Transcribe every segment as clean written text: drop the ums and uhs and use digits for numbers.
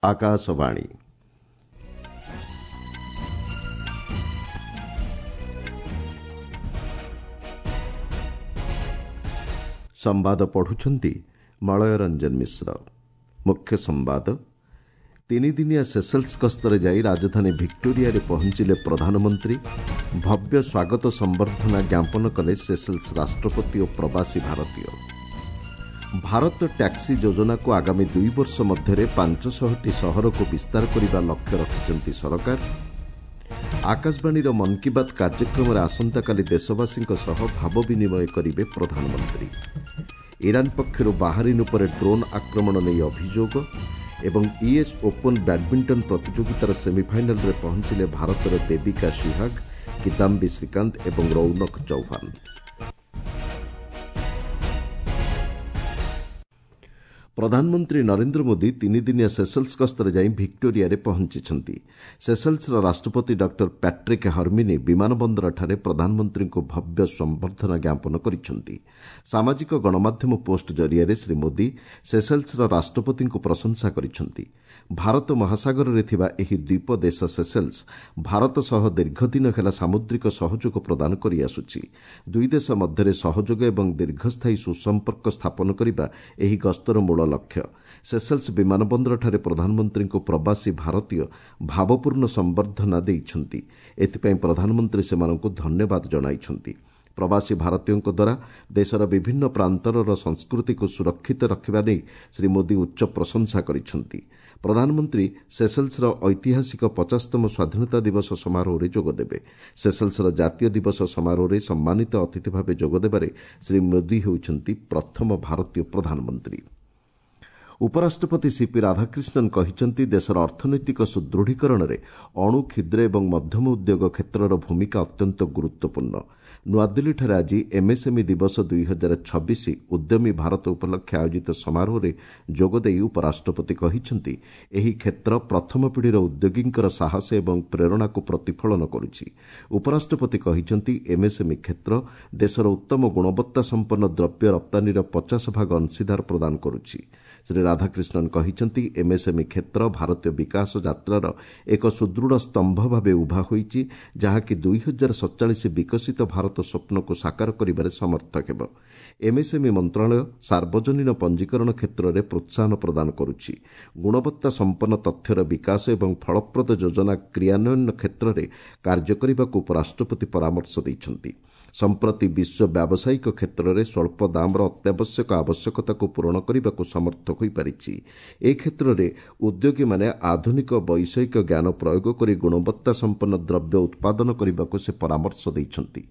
ଆକାଶବାଣୀ। ସମ୍ବାଦ ପଢୁଛନ୍ତି ମଳୟ ରଞ୍ଜନ ମିଶ୍ର। ମୁଖ୍ୟ ସମ୍ବାଦ। ତିନିଦିନିଆ ସେସେଲ୍ସ ଗସ୍ତରେ ଯାଇ ରାଜଧାନୀ ଭିକ୍ଟୋରିଆରେ ପହଞ୍ଚିଲେ ପ୍ରଧାନମନ୍ତ୍ରୀ। ଭବ୍ୟ ସ୍ୱାଗତ ସମ୍ବର୍ଦ୍ଧନା ଜ୍ଞାପନ କଲେ ସେସେଲ୍ସ ରାଷ୍ଟ୍ରପତି ଓ ପ୍ରବାସୀ ଭାରତୀୟ। ଭାରତ ଟ୍ୟାକ୍ସି ଯୋଜନାକୁ ଆଗାମୀ 2 ବର୍ଷ ମଧ୍ୟରେ 500ଟି ସହରକୁ ବିସ୍ତାର କରିବା ଲକ୍ଷ୍ୟ ରଖିଛନ୍ତି ସରକାର। ଆକାଶବାଣୀର ମନ୍ କି ବାତ୍ କାର୍ଯ୍ୟକ୍ରମରେ ଆସନ୍ତାକାଲି ଦେଶବାସୀଙ୍କ ସହ ଭାବ ବିନିମୟ କରିବେ ପ୍ରଧାନମନ୍ତ୍ରୀ। ଇରାନ ପକ୍ଷରୁ ବାହାରିନ୍ ଉପରେ ଡ୍ରୋନ୍ ଆକ୍ରମଣ ନେଇ ଅଭିଯୋଗ ଏବଂ ୟୁଏସ୍ ଓପନ୍ ବ୍ୟାଡ୍ମିଣ୍ଟନ ପ୍ରତିଯୋଗିତାର ସେମିଫାଇନାଲ୍ରେ ପହଞ୍ଚିଲେ ଭାରତର ଦେବିକା ସିହାଗ, କିଦାମ୍ବି ଶ୍ରୀକାନ୍ତ ଏବଂ ରୌନକ ଚୌହାନ। ପ୍ରଧାନମନ୍ତ୍ରୀ ନରେନ୍ଦ୍ର ମୋଦି ତିନିଦିନିଆ ସେସେଲ୍ସ ଗସ୍ତରେ ଯାଇ ଭିକ୍ଟୋରିଆରେ ପହଞ୍ଚିଛନ୍ତି। ସେସେଲ୍ସର ରାଷ୍ଟ୍ରପତି ଡକ୍ଟର ପ୍ୟାଟ୍ରିକ୍ ହର୍ମିନି ବିମାନ ବନ୍ଦରଠାରେ ପ୍ରଧାନମନ୍ତ୍ରୀଙ୍କୁ ଭବ୍ୟ ସମ୍ବର୍ଦ୍ଧନା ଜ୍ଞାପନ କରିଛନ୍ତି। ସାମାଜିକ ଗଣମାଧ୍ୟମ ପୋଷ୍ଟ ଜରିଆରେ ଶ୍ରୀ ମୋଦି ସେସେଲ୍ସର ରାଷ୍ଟ୍ରପତିଙ୍କୁ ପ୍ରଶଂସା କରିଛନ୍ତି। ଭାରତ ମହାସାଗରରେ ଥିବା ଏହି ଦ୍ୱୀପ ଦେଶ ସେସେଲ୍ସ ଭାରତ ସହ ଦୀର୍ଘଦିନ ହେଲା ସାମୁଦ୍ରିକ ସହଯୋଗ ପ୍ରଦାନ କରିଆସୁଛି। ଦୁଇ ଦେଶ ମଧ୍ୟରେ ସହଯୋଗ ଏବଂ ଦୀର୍ଘସ୍ଥାୟୀ ସୁସମ୍ପର୍କ ସ୍ଥାପନ କରିବା ଏହି ଗସ୍ତର ମୂଳ ଲକ୍ଷ୍ୟ। ସେସେଲ୍ସ ବିମାନ ବନ୍ଦରଠାରେ ପ୍ରଧାନମନ୍ତ୍ରୀଙ୍କୁ ପ୍ରବାସୀ ଭାରତୀୟ ଭାବପୂର୍ଣ୍ଣ ସମ୍ବର୍ଦ୍ଧନା ଦେଇଛନ୍ତି। ଏଥିପାଇଁ ପ୍ରଧାନମନ୍ତ୍ରୀ ସେମାନଙ୍କୁ ଧନ୍ୟବାଦ ଜଣାଇଛନ୍ତି। ପ୍ରବାସୀ ଭାରତୀୟଙ୍କ ଦ୍ୱାରା ଦେଶର ବିଭିନ୍ନ ପ୍ରାନ୍ତରର ସଂସ୍କୃତିକୁ ସୁରକ୍ଷିତ ରଖିବା ନେଇ ଶ୍ରୀ ମୋଦି ଉଚ୍ଚ ପ୍ରଶଂସା କରିଛନ୍ତି। ପ୍ରଧାନମନ୍ତ୍ରୀ ସେସେଲ୍ସର ଐତିହାସିକ 50ତମ ସ୍ୱାଧୀନତା ଦିବସ ସମାରୋହରେ ଯୋଗଦେବେ। ସେସେଲ୍ସର ଜାତୀୟ ଦିବସ ସମାରୋହରେ ସମ୍ମାନିତ ଅତିଥି ଭାବେ ଯୋଗଦେବାରେ ଶ୍ରୀ ମୋଦି ହେଉଛନ୍ତି ପ୍ରଥମ ଭାରତୀୟ ପ୍ରଧାନମନ୍ତ୍ରୀ। ଉପରାଷ୍ଟ୍ରପତି ସିପି ରାଧାକ୍ରିଷ୍ଣନ୍ କହିଛନ୍ତି, ଦେଶର ଅର୍ଥନୈତିକ ସୁଦୃଢ଼ୀକରଣରେ ଅଣୁ, କ୍ଷୁଦ୍ର ଏବଂ ମଧ୍ୟମ ଉଦ୍ୟୋଗ କ୍ଷେତ୍ରର ଭୂମିକା ଅତ୍ୟନ୍ତ ଗୁରୁତ୍ୱପୂର୍ଣ୍ଣ। ନୂଆଦିଲ୍ଲୀଠାରେ ଆଜି ଏମ୍ଏସ୍ଏମ୍ଇ ଦିବସ 2026 ଉଦ୍ୟମୀ ଭାରତ ଉପଲକ୍ଷେ ଆୟୋଜିତ ସମାରୋହରେ ଯୋଗଦେଇ ଉପରାଷ୍ଟ୍ରପତି କହିଛନ୍ତି, ଏହି କ୍ଷେତ୍ର ପ୍ରଥମ ପିଢ଼ିର ଉଦ୍ୟୋଗୀଙ୍କର ସାହସ ଏବଂ ପ୍ରେରଣାକୁ ପ୍ରତିଫଳନ କରୁଛି। ଉପରାଷ୍ଟ୍ରପତି କହିଛନ୍ତି, ଏମ୍ଏସ୍ଏମ୍ଇ କ୍ଷେତ୍ର ଦେଶର ଉତ୍ତମ ଗୁଣବତ୍ତା ସମ୍ପନ୍ନ ଦ୍ରବ୍ୟ ରପ୍ତାନୀର 50 ଭାଗ ଅଂଶୀଦାର ପ୍ରଦାନ କରୁଛି। ଶ୍ରୀ ରାଧାକ୍ରିଷ୍ଣନ୍ କହିଛନ୍ତି, ଏମ୍ଏସ୍ଏମ୍ଇ କ୍ଷେତ୍ର ଭାରତୀୟ ବିକାଶ ଯାତ୍ରାର ଏକ ସୁଦୃଢ଼ ସ୍ତମ୍ଭ ଭାବେ ଉଭା ହୋଇଛି, ଯାହାକି 2047 ବିକଶିତ ଭାରତ ସ୍ୱପ୍ନକୁ ସାକାର କରିବାରେ ସମର୍ଥ ହେବ। ଏମ୍ଏସ୍ଏମ୍ଇ ମନ୍ତ୍ରଣାଳୟ ସାର୍ବଜନୀନ ପଞ୍ଜୀକରଣ କ୍ଷେତ୍ରରେ ପ୍ରୋତ୍ସାହନ ପ୍ରଦାନ କରୁଛି। ଗୁଣବତ୍ତା ସମ୍ପନ୍ନ ତଥ୍ୟର ବିକାଶ ଏବଂ ଫଳପ୍ରଦ ଯୋଜନା କ୍ରିୟାନ୍ୱୟନ କ୍ଷେତ୍ରରେ କାର୍ଯ୍ୟ କରିବାକୁ ଉପରାଷ୍ଟ୍ରପତି ପରାମର୍ଶ ଦେଇଛନ୍ତି। ସମ୍ପ୍ରତି ବିଶ୍ୱ ବ୍ୟାବସାୟିକ କ୍ଷେତ୍ରରେ ସ୍ୱଳ୍ପ ଦାମର ଅତ୍ୟାବଶ୍ୟକ ଆବଶ୍ୟକତାକୁ ପୂରଣ କରିବାକୁ ସମର୍ଥ ହୋଇପାରିଛି। ଏ କ୍ଷେତ୍ରରେ ଉଦ୍ୟୋଗୀମାନେ ଆଧୁନିକ ବୈଷୟିକ ଜ୍ଞାନ ପ୍ରୟୋଗ କରି ଗୁଣବତ୍ତା ସମ୍ପନ୍ନ ଦ୍ରବ୍ୟ ଉତ୍ପାଦନ କରିବାକୁ ସେ ପରାମର୍ଶ ଦେଇଛନ୍ତି।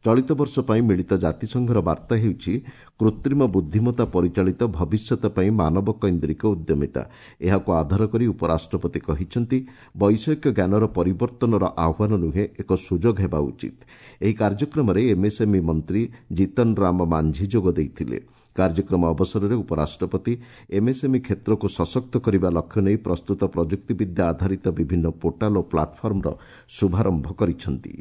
ଚଳିତ ବର୍ଷ ପାଇଁ ମିଳିତ ଜାତିସଂଘର ବାର୍ତ୍ତା ହେଉଛି କୃତ୍ରିମ ବୁଦ୍ଧିମତ୍ତା ପରିଚାଳିତ ଭବିଷ୍ୟତ ପାଇଁ ମାନବ କୈନ୍ଦ୍ରିକ ଉଦ୍ୟମିତା। ଏହାକୁ ଆଧାର କରି ଉପରାଷ୍ଟ୍ରପତି କହିଛନ୍ତି, ବୈଷୟିକ ଜ୍ଞାନର ପରିବର୍ତ୍ତନର ଆହ୍ୱାନ ନୁହେଁ, ଏକ ସୁଯୋଗ ହେବା ଉଚିତ। ଏହି କାର୍ଯ୍ୟକ୍ରମରେ ଏମ୍ଏସ୍ଏମ୍ଇ ମନ୍ତ୍ରୀ ଜିତନ ରାମ ମାଂଝି ଯୋଗ ଦେଇଥିଲେ। କାର୍ଯ୍ୟକ୍ରମ ଅବସରରେ ଉପରାଷ୍ଟ୍ରପତି ଏମ୍ଏସ୍ଏମ୍ଇ କ୍ଷେତ୍ରକୁ ସଶକ୍ତ କରିବା ଲକ୍ଷ୍ୟ ନେଇ ପ୍ରସ୍ତୁତ ପ୍ରଯୁକ୍ତିବିଦ୍ୟା ଆଧାରିତ ବିଭିନ୍ନ ପୋର୍ଟାଲ ଓ ପ୍ଲାଟଫର୍ମର ଶୁଭାରମ୍ଭ କରିଛନ୍ତି।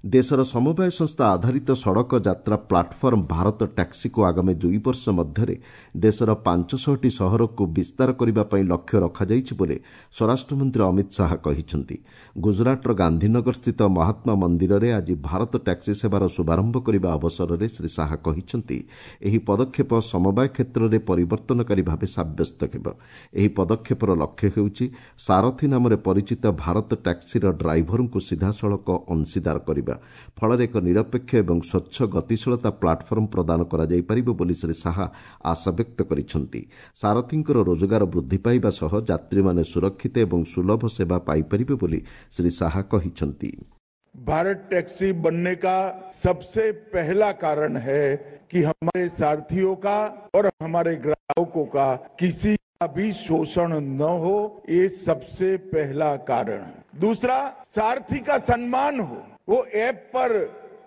ଦେଶର ସମବାୟ ସଂସ୍ଥା ଆଧାରିତ ସଡ଼କ ଯାତ୍ରା ପ୍ଲାଟଫର୍ମ ଭାରତ ଟ୍ୟାକ୍ସିକୁ ଆଗାମୀ 2 ବର୍ଷ ମଧ୍ୟରେ ଦେଶର 500ଟି ସହରକୁ ବିସ୍ତାର କରିବା ପାଇଁ ଲକ୍ଷ୍ୟ ରଖାଯାଇଛି ବୋଲି ସ୍ୱରାଷ୍ଟ୍ରମନ୍ତ୍ରୀ ଅମିତ ଶାହା କହିଛନ୍ତି। ଗୁଜରାଟର ଗାନ୍ଧୀନଗରସ୍ଥିତ ମହାତ୍ମା ମନ୍ଦିରରେ ଆଜି ଭାରତ ଟ୍ୟାକ୍ସି ସେବାର ଶୁଭାରମ୍ଭ କରିବା ଅବସରରେ ଶ୍ରୀ ଶାହା କହିଛନ୍ତି, ଏହି ପଦକ୍ଷେପ ସମବାୟ କ୍ଷେତ୍ରରେ ପରିବର୍ତ୍ତନକାରୀ ଭାବେ ସାବ୍ୟସ୍ତ ହେବ। ଏହି ପଦକ୍ଷେପର ଲକ୍ଷ୍ୟ ହେଉଛି ସାରଥୀ ନାମରେ ପରିଚିତ ଭାରତ ଟ୍ୟାକ୍ସିର ଡ୍ରାଇଭରଙ୍କୁ ସିଧାସଳଖ ଅଂଶୀଦାର କରିବା। ଫଳରେ ଏକ ନିରପେକ୍ଷ ଏବଂ ସ୍ୱଚ୍ଛ ଗତିଶୀଳତା ପ୍ଲାଟଫର୍ମ ପ୍ରଦାନ କରାଯାଇପାରିବ ବୋଲି ଶ୍ରୀ ଶାହା ଆଶାବ୍ୟକ୍ତ କରିଛନ୍ତି। ସାରଥୀଙ୍କର ରୋଜଗାର ବୃଦ୍ଧି ପାଇବା ସହ ଯାତ୍ରୀମାନେ ସୁରକ୍ଷିତ ଏବଂ ସୁଲଭ ସେବା ପାଇପାରିବେ ବୋଲି ଶ୍ରୀ ଶାହା କହିଛନ୍ତି। भारत टैक्सी बनने का सबसे पहला कारण है कि हमारे सारथियों का और हमारे ग्राहकों का किसी का भी शोषण न हो, ये सबसे पहला कारण है। दूसरा, सारथी का सम्मान हो, वो ऐप पर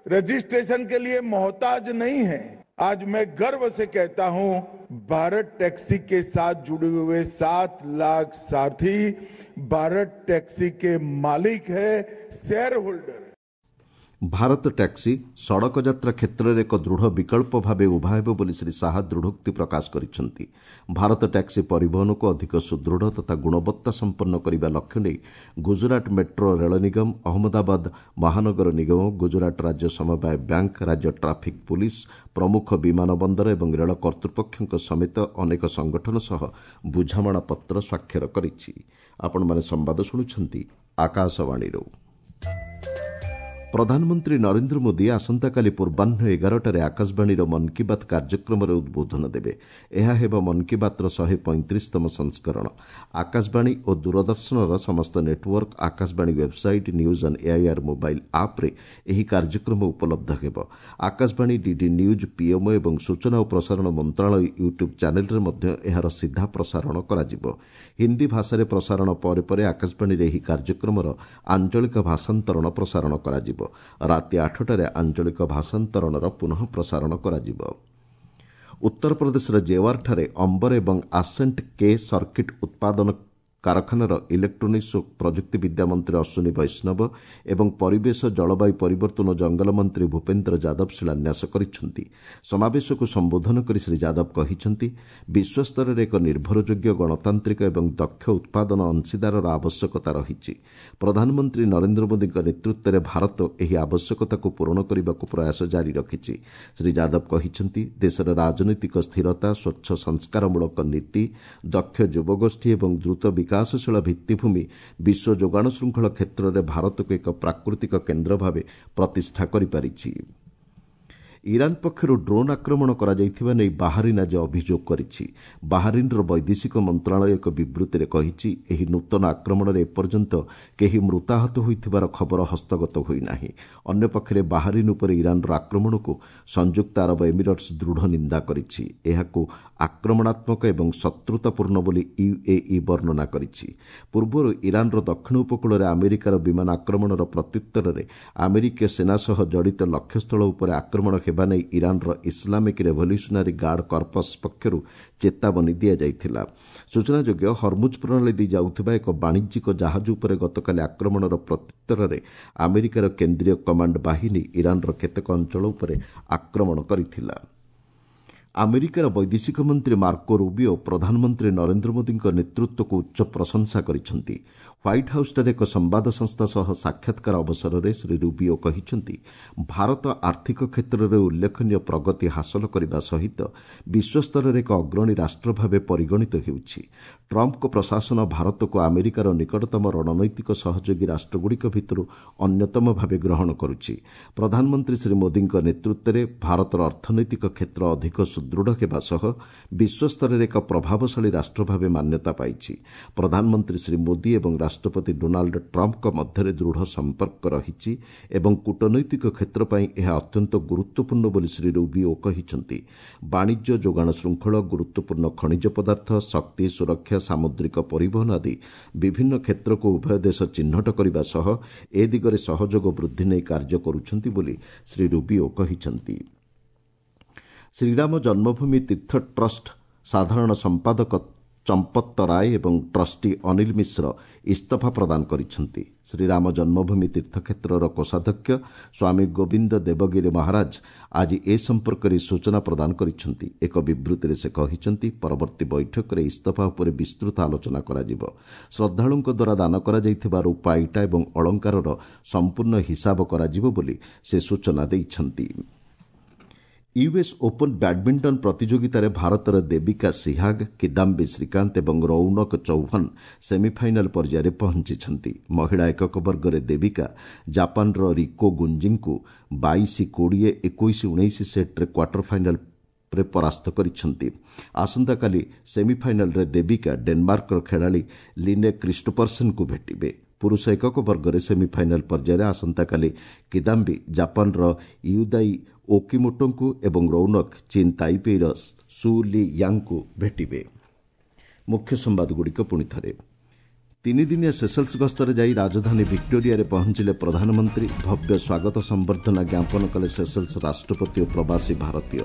रजिस्ट्रेशन के लिए मोहताज नहीं है। आज मैं गर्व से कहता हूं, भारत टैक्सी के साथ जुड़े हुए 7 लाख सारथी भारत टैक्सी के मालिक है, शेयर होल्डर। ଭାରତ ଟ୍ୟାକ୍ସି ସଡ଼କ ଯାତ୍ରା କ୍ଷେତ୍ରରେ ଏକ ଦୃଢ଼ ବିକଳ୍ପ ଭାବେ ଉଭା ହେବ ବୋଲି ଶ୍ରୀ ଶାହା ଦୃଢ଼ୋକ୍ତି ପ୍ରକାଶ କରିଛନ୍ତି। ଭାରତ ଟ୍ୟାକ୍ସି ପରିବହନକୁ ଅଧିକ ସୁଦୃଢ଼ ତଥା ଗୁଣବତ୍ତା ସମ୍ପନ୍ନ କରିବା ଲକ୍ଷ୍ୟ ନେଇ ଗୁଜରାଟ ମେଟ୍ରୋ ରେଳ ନିଗମ, ଅହମ୍ମଦାବାଦ ମହାନଗର ନିଗମ, ଗୁଜରାଟ ରାଜ୍ୟ ସମବାୟ ବ୍ୟାଙ୍କ, ରାଜ୍ୟ ଟ୍ରାଫିକ୍ ପୁଲିସ୍, ପ୍ରମୁଖ ବିମାନ ବନ୍ଦର ଏବଂ ରେଳ କର୍ତ୍ତୃପକ୍ଷଙ୍କ ସମେତ ଅନେକ ସଂଗଠନ ସହ ବୁଝାମଣାପତ୍ର ସ୍ୱାକ୍ଷର କରିଛି। ଆପଣମାନେ ସମ୍ବାଦ ଶୁଣୁଛନ୍ତି ଆକାଶବାଣୀରୁ। ପ୍ରଧାନମନ୍ତ୍ରୀ ନରେନ୍ଦ୍ର ମୋଦି ଆସନ୍ତାକାଲି ପୂର୍ବାହ୍ନ 11ଟାରେ ଆକାଶବାଣୀର ମନ୍ କି ବାତ୍ କାର୍ଯ୍ୟକ୍ରମରେ ଉଦ୍ବୋଧନ ଦେବେ। ଏହା ହେବ ମନ୍ କି ବାତ୍ର 135ତମ ସଂସ୍କରଣ। ଆକାଶବାଣୀ ଓ ଦୂରଦର୍ଶନର ସମସ୍ତ network, Akashvani website, news on AIR mobile ଆପ୍ରେ ଏହି କାର୍ଯ୍ୟକ୍ରମ ଉପଲବ୍ଧ ହେବ। ଆକାଶବାଣୀ, ଡିଡି ନ୍ୟୁଜ୍, ପିଏମ୍ଓ ଏବଂ ସୂଚନା ଓ ପ୍ରସାରଣ ମନ୍ତ୍ରଣାଳୟ ୟୁଟ୍ୟୁବ୍ ଚ୍ୟାନେଲ୍ରେ ମଧ୍ୟ ଏହାର ସିଧା ପ୍ରସାରଣ କରାଯିବ। ହିନ୍ଦୀ ଭାଷାରେ ପ୍ରସାରଣ ପରେ ପରେ ଆକାଶବାଣୀରେ ଏହି କାର୍ଯ୍ୟକ୍ରମର ଆଞ୍ଚଳିକ ଭାଷାନ୍ତରଣ ପ୍ରସାରଣ କରାଯିବ। ରାତି 8ଟାରେ ଆଞ୍ଚଳିକ ଭାଷାନ୍ତରଣର ପୁନଃ ପ୍ରସାରଣ କରାଯିବ। ଉତ୍ତରପ୍ରଦେଶର ଜେୱାରଠାରେ ଅମ୍ବର ଏବଂ ଆସେଣ୍ଟ କେ ସର୍କିଟ୍ ଉତ୍ପାଦନ କାରଖାନାର ଇଲେକ୍ଟ୍ରୋନିକ୍ସ ଓ ପ୍ରଯୁକ୍ତିବିଦ୍ୟା ମନ୍ତ୍ରୀ ଅଶ୍ୱିନୀ ବୈଷ୍ଣବ ଏବଂ ପରିବେଶ, ଜଳବାୟୁ ପରିବର୍ତ୍ତନ ଓ ଜଙ୍ଗଲ ମନ୍ତ୍ରୀ ଭୂପେନ୍ଦ୍ର ଯାଦବ ଶିଳାନ୍ୟାସ କରିଛନ୍ତି। ସମାବେଶକୁ ସମ୍ବୋଧନ କରି ଶ୍ରୀ ଯାଦବ କହିଛନ୍ତି, ବିଶ୍ୱସ୍ତରରେ ଏକ ନିର୍ଭରଯୋଗ୍ୟ, ଗଣତାନ୍ତ୍ରିକ ଏବଂ ଦକ୍ଷ ଉତ୍ପାଦନ ଅଂଶୀଦାରର ଆବଶ୍ୟକତା ରହିଛି। ପ୍ରଧାନମନ୍ତ୍ରୀ ନରେନ୍ଦ୍ର ମୋଦିଙ୍କ ନେତୃତ୍ୱରେ ଭାରତ ଏହି ଆବଶ୍ୟକତାକୁ ପୂରଣ କରିବାକୁ ପ୍ରୟାସ ଜାରି ରଖିଛି। ଶ୍ରୀ ଯାଦବ କହିଛନ୍ତି, ଦେଶର ରାଜନୈତିକ ସ୍ଥିରତା, ସ୍ୱଚ୍ଛ ସଂସ୍କାରମୂଳକ ନୀତି, ଦକ୍ଷ ଯୁବଗୋଷ୍ଠୀ ଏବଂ ଦ୍ରୁତ ବିକାଶଶୀଳ ଭିତ୍ତିଭୂମି ବିଶ୍ୱ ଯୋଗାଣ ଶୃଙ୍ଖଳ କ୍ଷେତ୍ରରେ ଭାରତକୁ ଏକ ପ୍ରାକୃତିକ କେନ୍ଦ୍ର ଭାବେ ପ୍ରତିଷ୍ଠା କରିପାରିଛି। ଇରାନ୍ ପକ୍ଷରୁ ଡ୍ରୋନ୍ ଆକ୍ରମଣ କରାଯାଇଥିବା ନେଇ ବାହାରିନ୍ ଆଜି ଅଭିଯୋଗ କରିଛି। ବାହାରିନ୍ର ବୈଦେଶିକ ମନ୍ତ୍ରଣାଳୟ ଏକ ବିବୃତ୍ତିରେ କହିଛି, ଏହି ନୂତନ ଆକ୍ରମଣରେ ଏପର୍ଯ୍ୟନ୍ତ କେହି ମୃତାହତ ହୋଇଥିବାର ଖବର ହସ୍ତଗତ ହୋଇନାହିଁ। ଅନ୍ୟପକ୍ଷରେ ବାହାରିନ୍ ଉପରେ ଇରାନ୍ର ଆକ୍ରମଣକୁ ସଂଯୁକ୍ତ ଆରବ ଏମିରେଟ୍ସ ଦୃଢ଼ ନିନ୍ଦା କରିଛି। ଏହାକୁ ଆକ୍ରମଣାତ୍ମକ ଏବଂ ଶତ୍ରୁତାପୂର୍ଣ୍ଣ ବୋଲି ୟୁଏଇ ବର୍ଣ୍ଣନା କରିଛି। ପୂର୍ବରୁ ଇରାନ୍ର ଦକ୍ଷିଣ ଉପକୂଳରେ ଆମେରିକାର ବିମାନ ଆକ୍ରମଣର ପ୍ରତ୍ୟୁତ୍ତରରେ ଆମେରିକୀୟ ସେନା ସହ ଜଡ଼ିତ ଲକ୍ଷ୍ୟସ୍ଥଳ ଉପରେ ଆକ୍ରମଣ ହେବା ନେଇ ଇରାନ୍ର ଇସଲାମିକ୍ ରେଭଲ୍ୟୁସନାରୀ ଗାର୍ଡ କର୍ପସ୍ ପକ୍ଷରୁ ଚେତାବନୀ ଦିଆଯାଇଥିଲା। ସୂଚନାଯୋଗ୍ୟ, ହରମୁଜ୍ ପ୍ରଣାଳୀ ଦେଇ ଯାଉଥିବା ଏକ ବାଣିଜ୍ୟିକ ଜାହାଜ ଉପରେ ଗତକାଲି ଆକ୍ରମଣର ପ୍ରତ୍ୟୁତ୍ତରରେ ଆମେରିକାର କେନ୍ଦ୍ରୀୟ କମାଣ୍ଡ ବାହିନୀ ଇରାନ୍ର କେତେକ ଅଞ୍ଚଳ ଉପରେ ଆକ୍ରମଣ କରିଥିଲା। ଆମେରିକାର ବୈଦେଶିକ ମନ୍ତ୍ରୀ ମାର୍କୋ ରୁବିଓ ପ୍ରଧାନମନ୍ତ୍ରୀ ନରେନ୍ଦ୍ର ମୋଦିଙ୍କ ନେତୃତ୍ୱକୁ ଉଚ୍ଚ ପ୍ରଶଂସା କରିଛନ୍ତି। ହ୍ୱାଇଟ୍ ହାଉସ୍ଠାରେ ଏକ ସମ୍ବାଦ ସଂସ୍ଥା ସହ ସାକ୍ଷାତକାର ଅବସରରେ ଶ୍ରୀ ରୁବିଓ କହିଛନ୍ତି, ଭାରତ ଆର୍ଥିକ କ୍ଷେତ୍ରରେ ଉଲ୍ଲେଖନୀୟ ପ୍ରଗତି ହାସଲ କରିବା ସହିତ ବିଶ୍ୱସ୍ତରରେ ଏକ ଅଗ୍ରଣୀ ରାଷ୍ଟ୍ର ଭାବେ ପରିଗଣିତ ହେଉଛି। ଟ୍ରମ୍ପଙ୍କ ପ୍ରଶାସନ ଭାରତକୁ ଆମେରିକାର ନିକଟତମ ରଣନୈତିକ ସହଯୋଗୀ ରାଷ୍ଟ୍ରଗୁଡ଼ିକ ଭିତରୁ ଅନ୍ୟତମ ଭାବେ ଗ୍ରହଣ କରୁଛି। ପ୍ରଧାନମନ୍ତ୍ରୀ ଶ୍ରୀ ମୋଦିଙ୍କ ନେତୃତ୍ୱରେ ଭାରତର ଅର୍ଥନୈତିକ କ୍ଷେତ୍ର ଅଧିକ ସୁଦୃଢ଼ ହେବା ସହ ବିଶ୍ୱସ୍ତରରେ ଏକ ପ୍ରଭାବଶାଳୀ ରାଷ୍ଟ୍ର ଭାବେ ମାନ୍ୟତା ପାଇଛି। ପ୍ରଧାନମନ୍ତ୍ରୀ ଶ୍ରୀ ମୋଦି ଏବଂ ରାଷ୍ଟ୍ରପତି ଡୋନାଲ୍ଡ ଟ୍ରମ୍ପଙ୍କ ମଧ୍ୟରେ ଦୃଢ଼ ସମ୍ପର୍କ ରହିଛି ଏବଂ କୂଟନୈତିକ କ୍ଷେତ୍ର ପାଇଁ ଏହା ଅତ୍ୟନ୍ତ ଗୁରୁତ୍ୱପୂର୍ଣ୍ଣ ବୋଲି ଶ୍ରୀ ରୁବିଓ କହିଛନ୍ତି। ବାଣିଜ୍ୟ, ଯୋଗାଣ ଶୃଙ୍ଖଳ, ଗୁରୁତ୍ୱପୂର୍ଣ୍ଣ ଖଣିଜ ପଦାର୍ଥ, ଶକ୍ତି, ସୁରକ୍ଷା, ସାମୁଦ୍ରିକ ପରିବହନ ଆଦି ବିଭିନ୍ନ କ୍ଷେତ୍ରକୁ ଉଭୟ ଦେଶ ଚିହ୍ନଟ କରିବା ସହ ଏ ଦିଗରେ ସହଯୋଗ ବୃଦ୍ଧି ନେଇ କାର୍ଯ୍ୟ କରୁଛନ୍ତି ବୋଲି ଶ୍ରୀ ରୁବିଓ କହିଛନ୍ତି। ଶ୍ରୀରାମ ଜନ୍ମଭୂମି ତୀର୍ଥ ଟ୍ରଷ୍ଟ ସାଧାରଣ ସମ୍ପାଦକ ଚମ୍ପତ୍ତ ରାୟ ଏବଂ ଟ୍ରଷ୍ଟି ଅନିଲ ମିଶ୍ର ଇସ୍ତଫା ପ୍ରଦାନ କରିଛନ୍ତି। ଶ୍ରୀରାମ ଜନ୍ମଭୂମି ତୀର୍ଥକ୍ଷେତ୍ରର କୋଷାଧ୍ୟକ୍ଷ ସ୍ୱାମୀ ଗୋବିନ୍ଦ ଦେବଗିରି ମହାରାଜ ଆଜି ଏ ସମ୍ପର୍କରେ ସୂଚନା ପ୍ରଦାନ କରିଛନ୍ତି। ଏକ ବିବୃତ୍ତିରେ ସେ କହିଛନ୍ତି, ପରବର୍ତ୍ତୀ ବୈଠକରେ ଇସ୍ତଫା ଉପରେ ବିସ୍ତୃତ ଆଲୋଚନା କରାଯିବ। ଶ୍ରଦ୍ଧାଳୁଙ୍କ ଦ୍ୱାରା ଦାନ କରାଯାଇଥିବା ରୂପା, ଇଟା ଏବଂ ଅଳଙ୍କାରର ସମ୍ପୂର୍ଣ୍ଣ ହିସାବ କରାଯିବ ବୋଲି ସେ ସୂଚନା ଦେଇଛନ୍ତି। ୟୁଏସ୍ ଓପନ୍ ବ୍ୟାଡ୍ମିଣ୍ଟନ ପ୍ରତିଯୋଗିତାରେ ଭାରତର ଦେବିକା ସିହାଗ, କିଦାମ୍ବି ଶ୍ରୀକାନ୍ତ ଏବଂ ରୌନକ ଚୌହାନ ସେମିଫାଇନାଲ୍ ପର୍ଯ୍ୟାୟରେ ପହଞ୍ଚିଛନ୍ତି। ମହିଳା ଏକକ ବର୍ଗରେ ଦେବିକା ଜାପାନର ରିକୋ ଗୁଞ୍ଜିଙ୍କୁ 22 20, 21 19 ସେଟ୍ରେ କ୍ୱାର୍ଟର ଫାଇନାଲ୍ରେ ପରାସ୍ତ କରିଛନ୍ତି। ଆସନ୍ତାକାଲି ସେମିଫାଇନାଲ୍ରେ ଦେବିକା ଡେନମାର୍କର ଖେଳାଳି ଲିନେ କ୍ରିଷ୍ଟୋପରସେନ୍ଙ୍କୁ ଭେଟିବେ। ପୁରୁଷ ଏକକ ବର୍ଗରେ ସେମିଫାଇନାଲ୍ ପର୍ଯ୍ୟାୟରେ ଆସନ୍ତାକାଲି କିଦାମ୍ବି ଜାପାନର ୟୁଦାଇ ଓକିମୋଟୋଙ୍କୁ ଏବଂ ରୌନକ ଚୀନ୍ ତାଇପେଇର ସୁ ଲି ୟାଙ୍ଗଙ୍କୁ ଭେଟିବେ। ମୁଖ୍ୟ ସମ୍ବାଦଗୁଡ଼ିକ ପୁଣି ଥରେ। ତିନିଦିନିଆ ସେସଲ୍ସ ଗସ୍ତରେ ଯାଇ ରାଜଧାନୀ ଭିକ୍ଟୋରିଆରେ ପହଞ୍ଚିଲେ ପ୍ରଧାନମନ୍ତ୍ରୀ। ଭବ୍ୟ ସ୍ୱାଗତ ସମ୍ବର୍ଦ୍ଧନା ଜ୍ଞାପନ କଲେ ସେସଲ୍ସ ରାଷ୍ଟ୍ରପତି ଓ ପ୍ରବାସୀ ଭାରତୀୟ।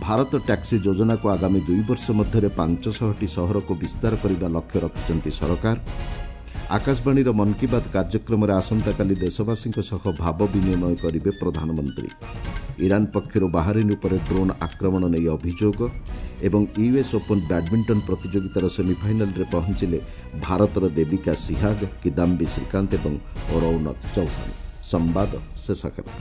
ଭାରତ ଟ୍ୟାକ୍ସି ଯୋଜନାକୁ ଆଗାମୀ 2 ବର୍ଷ ମଧ୍ୟରେ 500ଟି ସହରକୁ ବିସ୍ତାର କରିବା ଲକ୍ଷ୍ୟ ରଖିଛନ୍ତି ସରକାର। ଆକାଶବାଣୀର ମନ୍ କି ବାତ୍ କାର୍ଯ୍ୟକ୍ରମରେ ଆସନ୍ତାକାଲି ଦେଶବାସୀଙ୍କ ସହ ଭାବ ବିନିମୟ କରିବେ ପ୍ରଧାନମନ୍ତ୍ରୀ। ଇରାନ୍ ପକ୍ଷରୁ ବାହାରିନ୍ ଉପରେ ଡ୍ରୋନ୍ ଆକ୍ରମଣ ନେଇ ଅଭିଯୋଗ। ଏବଂ ୟୁଏସ୍ ଓପନ୍ ବ୍ୟାଡ୍ମିଣ୍ଟନ ପ୍ରତିଯୋଗିତାର ସେମିଫାଇନାଲ୍ରେ ପହଞ୍ଚିଲେ ଭାରତର ଦେବିକା ସିହାଗ, କିଦାମ୍ବି ଶ୍ରୀକାନ୍ତ ଏବଂ ରୌନକ ଚୌହାନ। ସମ୍ବାଦ ଶେଷ ହେଲା।